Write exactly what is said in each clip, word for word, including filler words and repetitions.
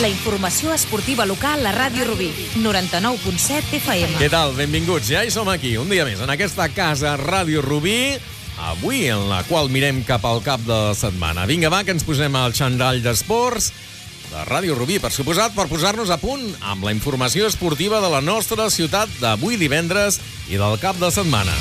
La informació esportiva local a Ràdio Rubí, noranta-nou punt set F M. Què tal? Benvinguts. Ja hi som aquí, un dia més, en aquesta casa Ràdio Rubí, avui en la qual mirem cap al cap de setmana. Vinga, va, que ens posem al xandall d'esports de Ràdio Rubí, per suposat, per posar-nos a punt amb la informació esportiva de la nostra ciutat d'avui divendres i del cap de setmana.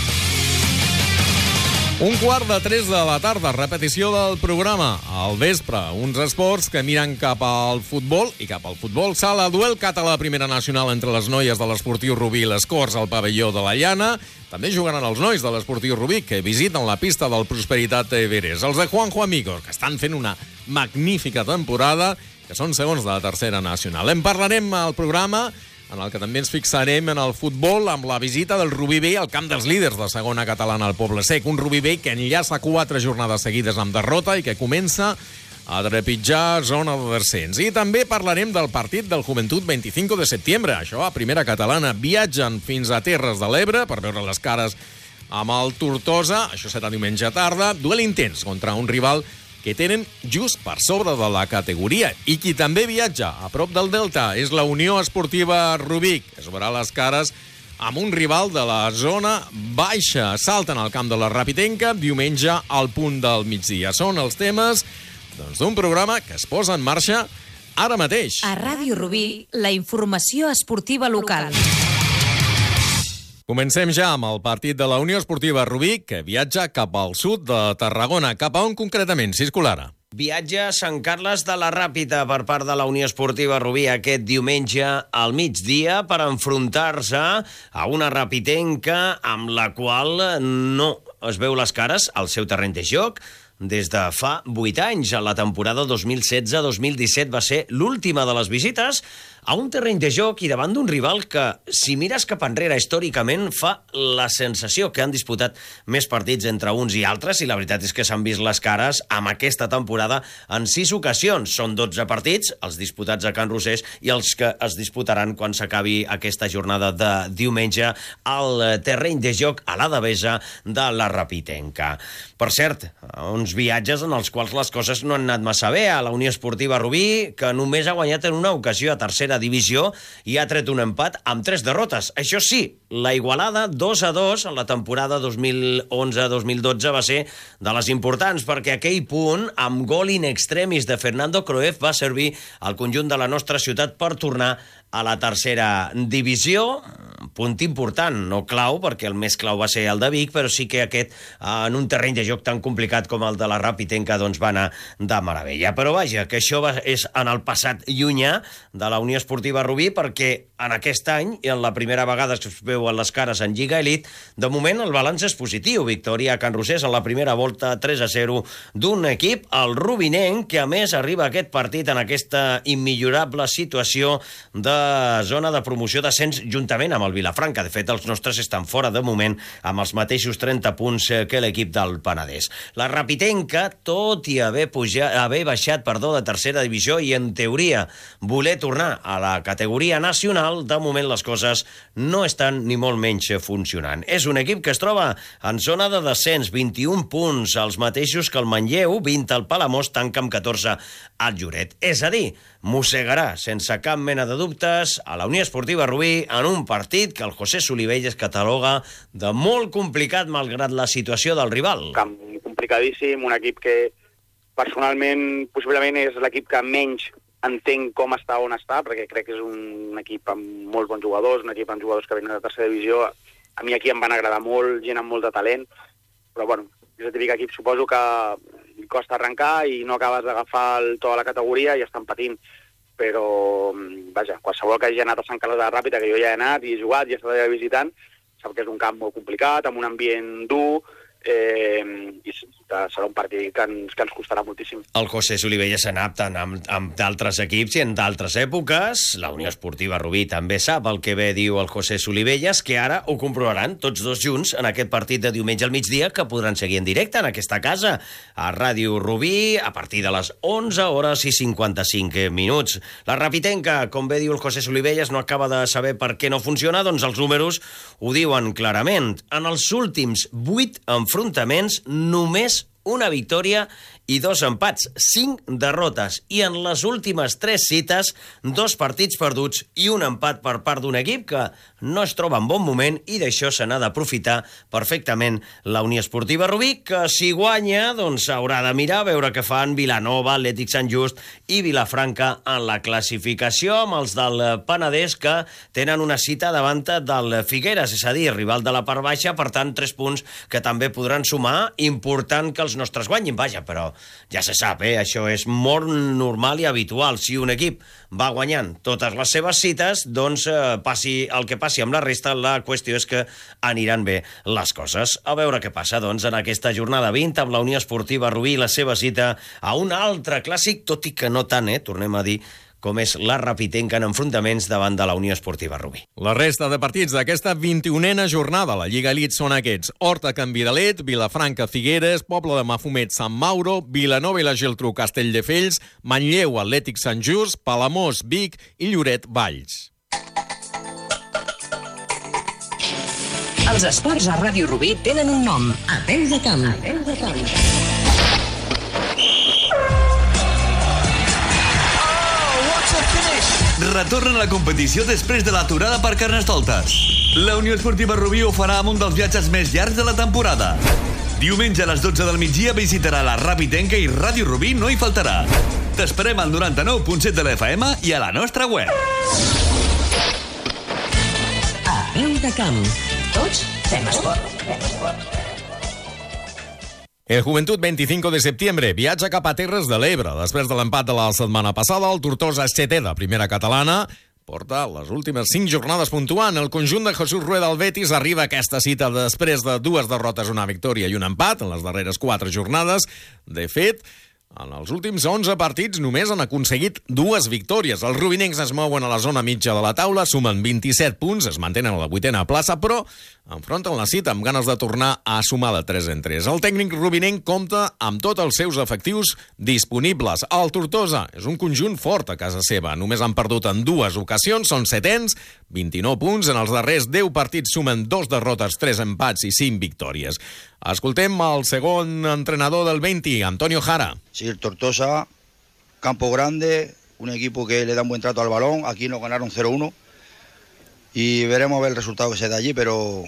Un quart de tres de la tarda, repetició del programa. Al vespre, uns esports que miren cap al futbol i cap al futbol sala. Duel català primera nacional entre les noies de l'Esportiu Rubí i les Corts al pavelló de la Llana. També jugaran els nois de l'Esportiu Rubí, que visiten la pista del Prosperitat Everest. Els de Juanjo Amigos, que estan fent una magnífica temporada, que són segons de la tercera nacional. En parlarem al programa, en el que també ens fixarem en el futbol amb la visita del Rubí B al camp dels líders de segona catalana al Poble Sec. Un Rubí B que enllaça quatre jornades seguides amb derrota i que comença a trepitjar zona de descens. I també parlarem del partit del Joventut vint-i-cinc de setembre. Això a primera catalana. Viatgen fins a Terres de l'Ebre per veure les cares amb el Tortosa. Això serà diumenge tarda. Duel intens contra un rival que tenen just per sobre de la categoria. I qui també viatja a prop del Delta és la Unió Esportiva Rubí, que es veurà les cares amb un rival de la zona baixa. Salten al camp de la Rapitenca diumenge al punt del migdia. Són els temes doncs, d'un programa que es posa en marxa ara mateix. A Ràdio Rubí, la informació esportiva local. Comencem ja amb el partit de la Unió Esportiva Rubí, que viatja cap al sud de Tarragona. Cap a on concretament, Cisco Lara? Viatja a Sant Carles de la Ràpita per part de la Unió Esportiva Rubí aquest diumenge al migdia per enfrontar-se a una rapitenca amb la qual no es veu les cares al seu terreny de joc des de fa vuit anys. A la temporada dos mil setze dos mil disset va ser l'última de les visites a un terreny de joc i davant d'un rival que, si mires cap enrere històricament, fa la sensació que han disputat més partits entre uns i altres, i la veritat és que s'han vist les cares amb aquesta temporada en sis ocasions. Són dotze partits, els disputats a Can Rosés i els que es disputaran quan s'acabi aquesta jornada de diumenge al terreny de joc a la Devesa de la Rapitenca. Per cert, uns viatges en els quals les coses no han anat massa bé a la Unió Esportiva Rubí, que només ha guanyat en una ocasió a tercera divisió i ha tret un empat amb tres derrotes. Això sí, la igualada dos a dos en la temporada dos mil onze dos mil dotze va ser de les importants, perquè aquell punt, amb gol in extremis de Fernando Croef, va servir al conjunt de la nostra ciutat per tornar a la tercera divisió. Punt important, no clau, perquè el més clau va ser el de Vic, però sí que aquest, en un terreny de joc tan complicat com el de la Rapitenca, doncs va anar de meravella. Però vaja, que això va, és en el passat llunyà de la Unió Esportiva Rubí, perquè en aquest any, i en la primera vegada que es veuen les cares en Lliga Elite, de moment el balanç és positiu. Victòria a Can Rosés en la primera volta, tres a zero d'un equip, el rubinenc, que a més arriba a aquest partit en aquesta immillorable situació de zona de promoció d'ascens juntament amb el Vilafranca. De fet, els nostres estan fora de moment amb els mateixos trenta punts que l'equip del Penedès. La Rapitenca, tot i haver, pujat, haver baixat perdó, de tercera divisió i en teoria voler tornar a la categoria nacional, de moment les coses no estan ni molt menys funcionant. És un equip que es troba en zona de descens, vint-i-un punts, els mateixos que el Manlleu, vint al Palamós, tanca amb catorze al Lloret. És a dir, mossegarà sense cap mena de dubtes a la Unió Esportiva Rubí en un partit que el José Solivelles cataloga de molt complicat malgrat la situació del rival. Un camp complicadíssim, un equip que personalment possiblement és l'equip que menys entenc com està on està, perquè crec que és un equip amb molts bons jugadors, un equip amb jugadors que venen de tercera divisió. A mi aquí em van agradar molt, gent amb molt de talent, però bueno, és el típic equip, suposo que li costa arrencar i no acabes d'agafar el to de la categoria i estan patint. Però, vaja, qualsevol que hagi anat a Sant Carles de la Ràpita, que jo ja he anat i he jugat i he estat allà visitant, sap que és un camp molt complicat, amb un ambient dur, eh, i serà un partit que ens, que ens costarà moltíssim. El José Solivelles s'ha anat tant amb, amb d'altres equips i en d'altres èpoques. La Unió Esportiva Rubí també sap el que bé diu el José Solivelles, que ara ho comprovaran tots dos junts en aquest partit de diumenge al migdia, que podran seguir en directe en aquesta casa, a Ràdio Rubí, a partir de les onze hores i cinquanta-cinc minuts. La Rapitenca, com bé diu el José Solivelles, no acaba de saber per què no funciona, doncs els números ho diuen clarament. En els últims vuit enfrontaments, només una victòria i dos empats, cinc derrotes. I en les últimes tres cites, dos partits perduts i un empat per part d'un equip que no es troba en bon moment, i d'això se n'ha d'aprofitar perfectament la Unió Esportiva Rubí, que si guanya, doncs haurà de mirar a veure què fan Vilanova, Atlètic Sant Just i Vilafranca en la classificació, amb els del Penedès, que tenen una cita davant del Figueres, és a dir, rival de la part baixa, per tant, tres punts que també podran sumar. Important que els nostres guanyin, vaja, però ja se sap, eh? Això és molt normal i habitual. Si un equip va guanyant totes les seves cites, doncs eh, passi el que passi amb la resta, la qüestió és que aniran bé les coses. A veure què passa, doncs, en aquesta jornada vint amb la Unió Esportiva Rubí, la seva cita a un altre clàssic, tot i que no tant, eh, tornem a dir, com és la Rapitenca en enfrontaments davant de la Unió Esportiva Rubí. La resta de partits d'aquesta vint-i-unena jornada a la Lliga Elite són aquests: Horta, Can Vidalet, Vilafranca, Figueres, Pobla de Mafumet, Sant Mauro, Vilanova i la Geltrú, Castelldefels, Manlleu, Atlètic Sant Just, Palamós, Vic i Lloret, Valls. Els esports a Ràdio Rubí tenen un nom: A Peu de Camp. A Peu de Camp. Retorna a la competició després de l'aturada per Carnestoltes. La Unió Esportiva Rubí ho farà amb un dels viatges més llargs de la temporada. Diumenge a les dotze del migdia visitarà la Rapitenca i Ràdio Rubí no hi faltarà. T'esperem al noranta-nou punt set de l'F M i a la nostra web. A Peu de Camp. Tots fem esport. El Joventut veinticinco de septiembre viatja cap a Terres de l'Ebre. Després de l'empat de la setmana passada, el Tortosa setè de primera catalana porta les últimes cinc jornades puntuant. El conjunt de Jesús Rueda al Betis arriba a aquesta cita després de dues derrotes, una victòria i un empat en les darreres quatre jornades. De fet, en els últims onze partits només han aconseguit dues victòries. Els rubinencs es mouen a la zona mitja de la taula, sumen vint-i-set punts, es mantenen a la vuitena plaça, però enfronten la cita amb ganes de tornar a sumar de tres en tres. El tècnic rubinenc compta amb tots els seus efectius disponibles. El Tortosa és un conjunt fort a casa seva. Només han perdut en dues ocasions, són setens, vint-i-nou punts. En els darrers deu partits sumen dos derrotes, tres empats i cinc victòries. Escoltem el segon entrenador del Veinti, Antonio Jara. Sí, el Tortosa, campo grande, un equipo que le da un buen trato al balón. Aquí nos ganaron cero uno y veremos a ver el resultado que se da allí, pero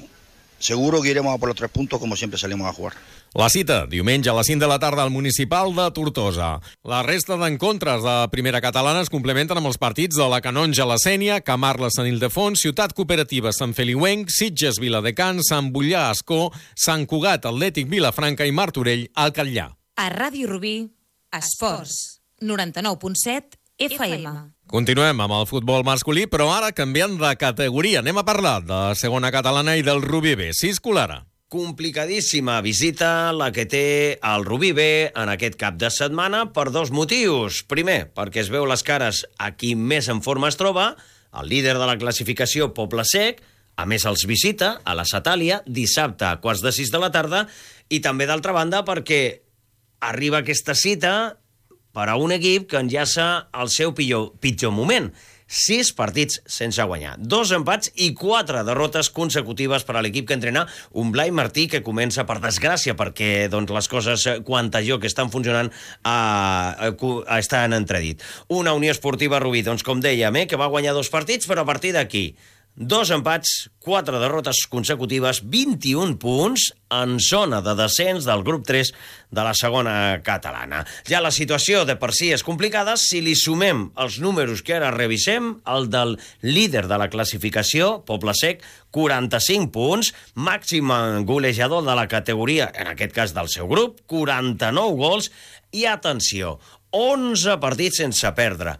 seguro que iremos a por los tres puntos como siempre salimos a jugar. La cita, diumenge a les cinc de la tarda al Municipal de Tortosa. La resta d'encontres de primera catalana es complementen amb els partits de la Canonja, la Sénia, Camarles, Sant Ildefons, Ciutat Cooperativa, Sant Feliuenc, Sitges, Viladecans, Sant Bullà, Ascó, Sant Cugat, Atlètic, Vilafranca i Martorell, al Catllà. A Ràdio Rubí, esports, noranta-nou punt set F M. Continuem amb el futbol masculí, però ara canviant de categoria. Anem a parlar de segona catalana i del Rubí B. Cisco Lara. Complicadíssima visita la que té el Rubí B en aquest cap de setmana per dos motius. Primer, perquè es veu les cares a qui més en forma es troba, el líder de la classificació, Poble Sec. A més, els visita a la Satàlia dissabte a quarts de sis de la tarda, i també, d'altra banda, perquè arriba aquesta cita per a un equip que enllaça el seu pitjor, pitjor moment. Sis partits sense guanyar, dos empats i quatre derrotes consecutives per a l'equip que entrena un Blai Martí, que comença, per desgràcia, perquè doncs, les coses quant a joc estan funcionant, a, a, a estar en entredit. Una Unió Esportiva Rubí, doncs, com dèiem, eh, que va guanyar dos partits, però a partir d'aquí dos empats, quatre derrotes consecutives, vint-i-un punts en zona de descens del grup tres de la segona catalana. Ja la situació de per si és complicada. Si li sumem els números que ara revisem, el del líder de la classificació, Poble Sec, quaranta-cinc punts, màxim golejador de la categoria, en aquest cas del seu grup, quaranta-nou gols, i atenció, onze partits sense perdre.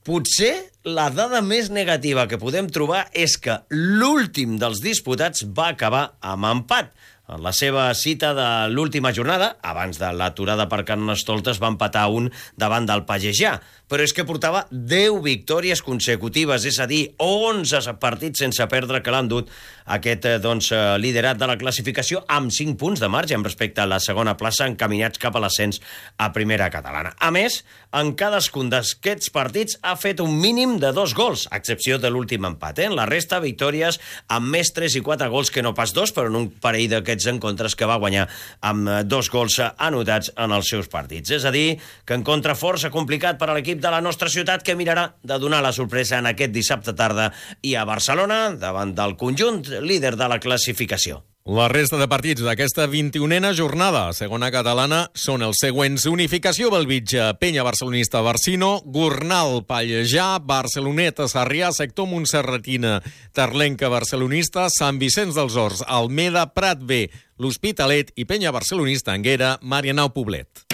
Potser la dada més negativa que podem trobar és que l'últim dels disputats va acabar amb empat. En la seva cita de l'última jornada, abans de l'aturada per Carnestoltes, va empatar un davant del Pagejà. Però és que portava deu victòries consecutives, és a dir, onze partits sense perdre, que l'han dut aquest doncs, liderat de la classificació amb cinc punts de marge respecte a la segona plaça, encaminats cap a l'ascens a primera catalana. A més, en cadascun d'aquests partits ha fet un mínim de dos gols, a excepció de l'últim empat. Eh? En la resta, victòries amb més tres i quatre gols que no pas dos, però en un parell d'aquests aquests encontres que va guanyar amb dos gols anotats en els seus partits. És a dir, que encontre força complicat per a l'equip de la nostra ciutat, que mirarà de donar la sorpresa en aquest dissabte tarda i a Barcelona, davant del conjunt líder de la classificació. La resta de partits d'aquesta vint-i-unena jornada segona catalana són els següents: Unificació Bellvitge, Penya Barcelonista Barcino, Gornal Pallejà, Barceloneta Sarrià, Sector Montserratina Terlenca Barcelonista, Sant Vicenç dels Horts, Almeda, Prat B, l'Hospitalet i Penya Barcelonista Anguera, Marianao Poblet.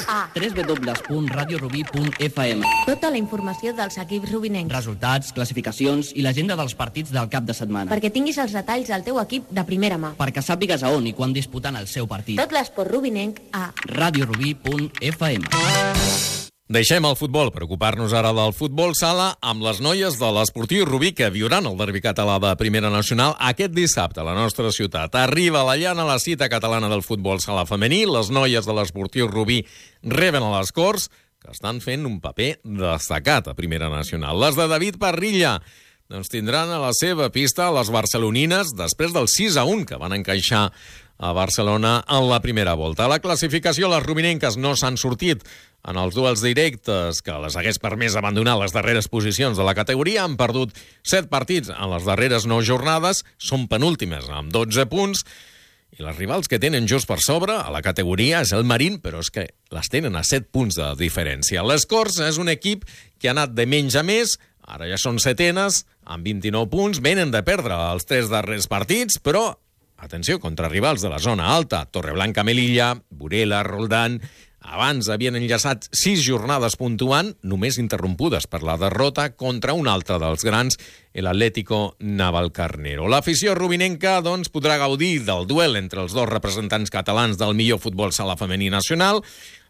A w w w punt radio rubí punt f m. Tota la informació dels equips rubinencs. Resultats, classificacions i l'agenda dels partits del cap de setmana. Perquè tinguis els detalls del teu equip de primera mà. Perquè sàpigues a on i quan disputant el seu partit. Tot l'esport rubinenc a radio rubí punt f m. Deixem el futbol per ocupar-nos ara del futbol sala amb les noies de l'Esportiu Rubí, que viuran el derbi català de Primera Nacional aquest dissabte a la nostra ciutat. Arriba a la llana la cita catalana del futbol sala femení. Les noies de l'Esportiu Rubí reben a les Corts, que estan fent un paper destacat a Primera Nacional. Les de David Parrilla doncs tindran a la seva pista les barcelonines després del sis a un que van encaixar a Barcelona en la primera volta. A la classificació, les rubinenques no s'han sortit en els duels directes que les hagués permès abandonar les darreres posicions de la categoria. Han perdut set partits en les darreres nou jornades, són penúltimes amb dotze punts, i les rivals que tenen just per sobre a la categoria és el Marín, però és que les tenen a set punts de diferència. Les Corts és un equip que ha anat de menys a més, ara ja són setenes, amb vint-i-nou punts, venen de perdre els tres darrers partits, però atenció, contra rivals de la zona alta, Torreblanca, Melilla, Burela, Roldán. Abans havien enllaçat sis jornades puntuant, només interrompudes per la derrota contra un altre dels grans, l'Atlético Navalcarnero. L'afició rubinenca doncs, podrà gaudir del duel entre els dos representants catalans del millor futbol sala femení nacional.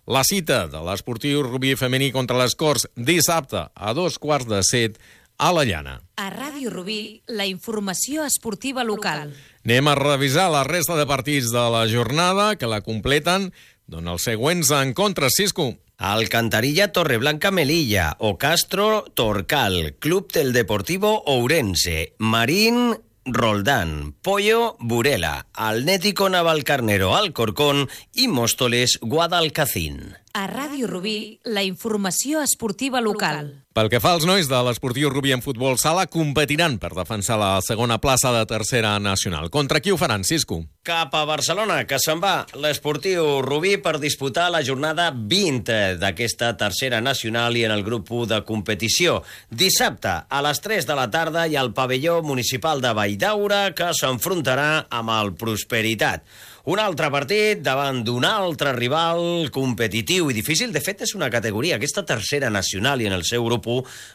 La cita de l'Esportiu Rubí femení contra les Corts dissabte a dos quarts de set a la llana. A Ràdio Rubí, la informació esportiva local. Anem a revisar la resta de partits de la jornada que la completen doncs els següents encontres, Cisco. Alcantarilla, Torreblanca, Melilla, Ocastro, Torcal, Club del Deportivo Ourense, Marín, Roldán, Pollo, Burela, Atlético Navalcarnero, Alcorcón i Móstoles, Guadalcacín. A Ràdio Rubí, la informació esportiva local. Pel que fa als nois de l'Esportiu Rubí en futbol sala, competiran per defensar la segona plaça de tercera nacional. Contra qui ho faran, Cisco? Cap a Barcelona, que se'n va l'Esportiu Rubí per disputar la jornada vint d'aquesta tercera nacional i en el grup u de competició. Dissabte, a les tres de la tarda, hi ha el pavelló municipal de Valldaura, que s'enfrontarà amb el Prosperitat. Un altre partit davant d'un altre rival competitiu i difícil. De fet, és una categoria, aquesta tercera nacional i en el seu grup u,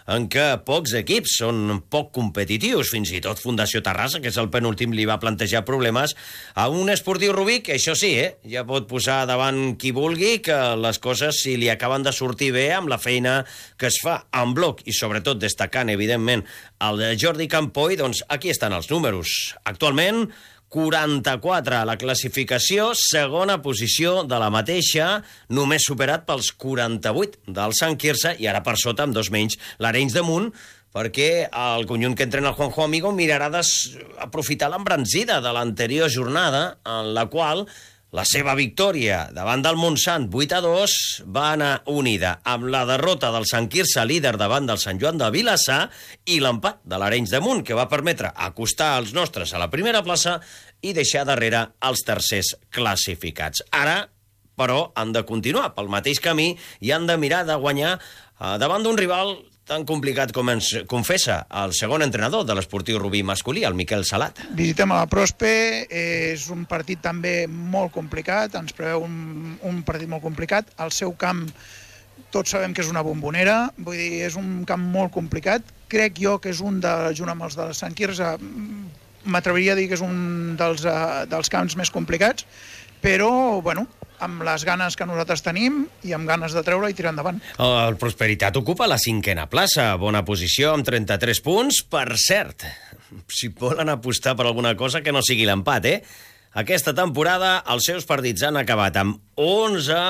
en què pocs equips són poc competitius. Fins i tot Fundació Terrassa, que és el penúltim, li va plantejar problemes a un Esportiu Rubí, que això sí, eh, ja pot posar davant qui vulgui, que les coses, si li acaben de sortir bé amb la feina que es fa en bloc, i sobretot destacant, evidentment, el Jordi Campoy, doncs aquí estan els números. Actualment, quaranta-quatre a la classificació, segona posició de la mateixa, només superat pels quaranta-vuit del Sant Quirze, i ara per sota, amb dos menys, l'Arenys de Munt, perquè el conjunt que entrena el Juanjo Amigo mirarà d'aprofitar l'embranzida de l'anterior jornada, en la qual la seva victòria davant del Montsant vuit a dos va anar unida amb la derrota del Sant Quirze, líder davant del Sant Joan de Vilassar, i l'empat de l'Arenys de Munt, que va permetre acostar els nostres a la primera plaça i deixar darrere els tercers classificats. Ara, però, han de continuar pel mateix camí i han de mirar de guanyar eh, davant d'un rival tan complicat com ens confessa el segon entrenador de l'Esportiu Rubí masculí, el Miquel Salat. Visitem a la Prospe, és un partit també molt complicat, ens preveu un, un partit molt complicat. El seu camp, tots sabem que és una bombonera, vull dir, és un camp molt complicat. Crec jo que és un de, junt amb els de Sant Quirze, m'atreviria a dir que és un dels, dels camps més complicats, però, bueno, amb les ganes que nosaltres tenim i amb ganes de treure i tirar endavant. El Prosperitat ocupa la cinquena plaça, bona posició amb trenta-tres punts. Per cert, si volen apostar per alguna cosa que no sigui l'empat, eh? Aquesta temporada els seus partits han acabat amb onze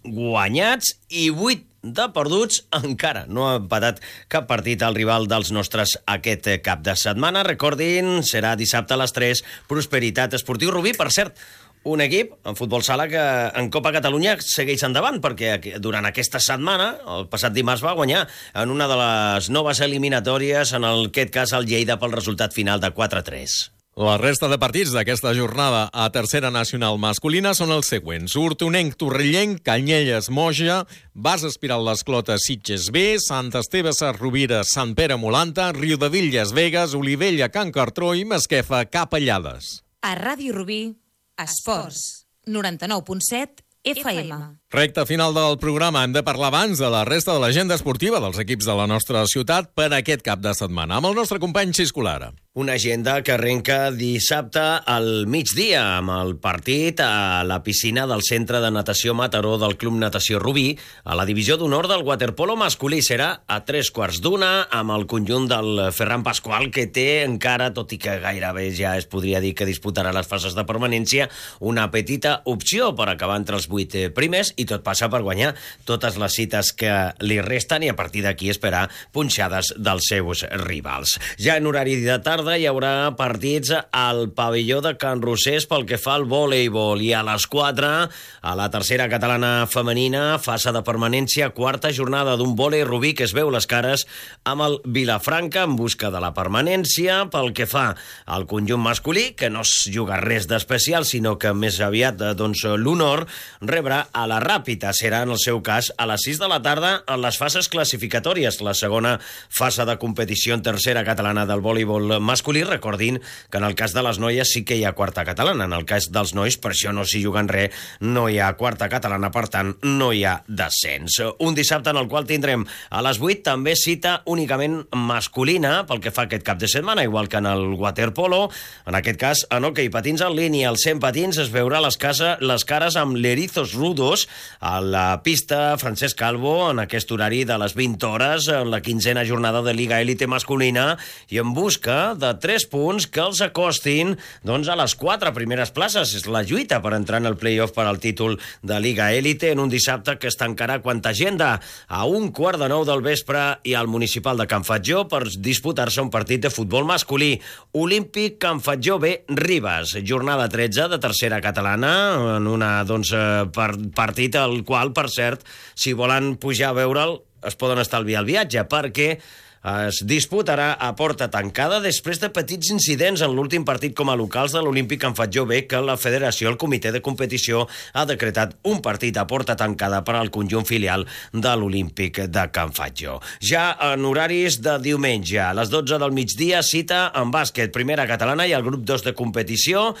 guanyats i vuit de perduts, encara no ha empatat cap partit al rival dels nostres aquest cap de setmana. Recordin, serà dissabte a les tres, Prosperitat Esportiu Rubí. Per cert, un equip en futbol sala que en Copa Catalunya segueix endavant, perquè durant aquesta setmana, el passat dimarts, va guanyar en una de les noves eliminatòries, en aquest cas el Lleida, pel resultat final de quatre a tres. La resta de partits d'aquesta jornada a tercera nacional masculina són els següents: Hortonenc, Torrellenc, Canyelles, Moja, Bas Espiral Les Clotes, Sitges B, Sant Esteve Sarrovira, Sant Pere Molanta, Riudevilles, Vegas, Olivella, Can Cartró i Masquefa, Capellades. A Ràdio Rubí, Esports, noranta-nou punt set F M. Recte final del programa. Hem de parlar abans de la resta de l'agenda esportiva dels equips de la nostra ciutat per aquest cap de setmana, amb el nostre company Xisco Lara. Una agenda que arrenca dissabte al migdia amb el partit a la piscina del Centre de Natació Mataró del Club Natació Rubí. A la divisió d'honor del waterpolo masculí serà a tres quarts d'una amb el conjunt del Ferran Pasqual, que té encara, tot i que gairebé ja es podria dir que disputarà les fases de permanència, una petita opció per acabar entre els vuit primers, i tot passa per guanyar totes les cites que li resten i a partir d'aquí esperar punxades dels seus rivals. Ja en horari de tarda hi haurà partits al pavelló de Can Rosés pel que fa al voleibol, i a les quatre a la tercera catalana femenina, fase de permanència, quarta jornada d'un vòlei Rubí que es veu les cares amb el Vilafranca en busca de la permanència. Pel que fa al conjunt masculí, que no es juga res d'especial, sinó que més aviat doncs, l'honor, rebrà a la Ràpita. Serà en el seu cas a les sis de la tarda en les fases classificatòries, la segona fase de competició en tercera catalana del voleibol masculí. Recordin que en el cas de les noies sí que hi ha quarta catalana, en el cas dels nois per això no s'hi juguen res, no hi ha quarta catalana, per tant no hi ha descens. Un dissabte en el qual tindrem a les vuit també cita únicament masculina pel que fa aquest cap de setmana, igual que en el waterpolo. En aquest cas, en hoquei patins en línia, als cent patins es veurà les, casa, les cares amb l'Erizos Rudos a la pista Francesc Calvo en aquest horari de les vint hores, en la quinzena jornada de Liga Élite masculina, i en busca de tres punts que els acostin doncs, a les quatre primeres places. És la lluita per entrar en el play-off per al títol de Liga Élite en un dissabte que es tancarà quanta agenda a un quart de nou del vespre i al municipal de Can Fatjó per disputar-se un partit de futbol masculí, Olímpic Can Fatjó B Ribes, jornada tretze de tercera catalana, en una doncs, per, partit al qual, per cert, si volen pujar a veure'l es poden estalviar el viatge, perquè es disputarà a porta tancada després de petits incidents en l'últim partit com a locals de l'Olímpic Can Fatjó B, que la federació, el comitè de competició, ha decretat un partit a porta tancada per al conjunt filial de l'Olímpic de Can Fatjó. Ja en horaris de diumenge, a les dotze del migdia, cita en bàsquet, primera catalana i el grup dos de competició.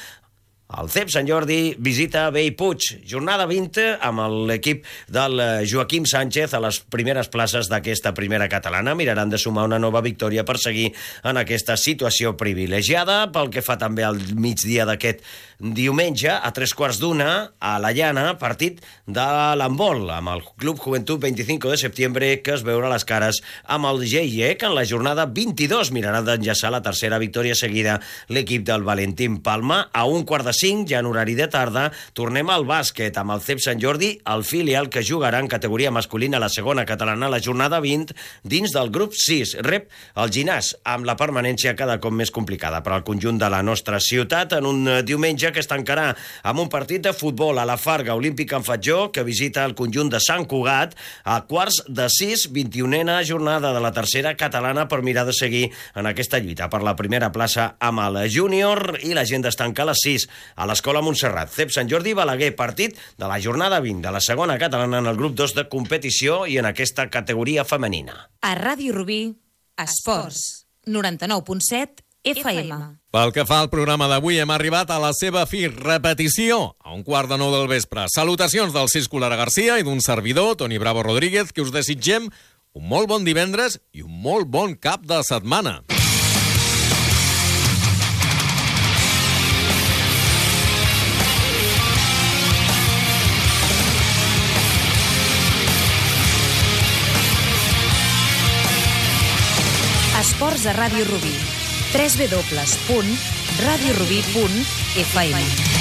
El C E P Sant Jordi visita Bellpuig, jornada vint amb l'equip del Joaquim Sánchez a les primeres places d'aquesta primera catalana. Miraran de sumar una nova victòria per seguir en aquesta situació privilegiada. Pel que fa també al migdia d'aquest diumenge, a tres quarts d'una, a la Llana, partit de l'handbol amb el Club Juventud veinticinco de setembre, que es veurà les cares amb el G I E, que en la jornada vint-i-dos mirarà d'enllaçar la tercera victòria seguida l'equip del Valentín Palma. A un quart de cinc, ja en horari de tarda, tornem al bàsquet amb el C E P Sant Jordi, el filial que jugarà en categoria masculina a la segona catalana la jornada vint dins del grup sis. Rep el Ginàs, amb la permanència cada cop més complicada per al conjunt de la nostra ciutat en un diumenge que es tancarà amb un partit de futbol a la Farga, Olímpic Can Fatjó, que visita el conjunt de Sant Cugat a quarts de sis, vint-i-unena jornada de la tercera catalana per mirar de seguir en aquesta lluita per la primera plaça amb el júnior, i la gent es tanca a les sis a l'Escola Montserrat. C E P Sant Jordi Balaguer, partit de la jornada vint de la segona catalana en el grup dos de competició i en aquesta categoria femenina. A Ràdio Rubí, Esports, noranta-nou punt set F M. Pel que fa al programa d'avui, hem arribat a la seva fi, repetició, a un quart de nou del vespre. Salutacions del Xisco Lara Garcia i d'un servidor, Toni Bravo Rodríguez, que us desitgem un molt bon divendres i un molt bon cap de setmana. Esports a Ràdio Rubí. w w w punt radiorubí punt f m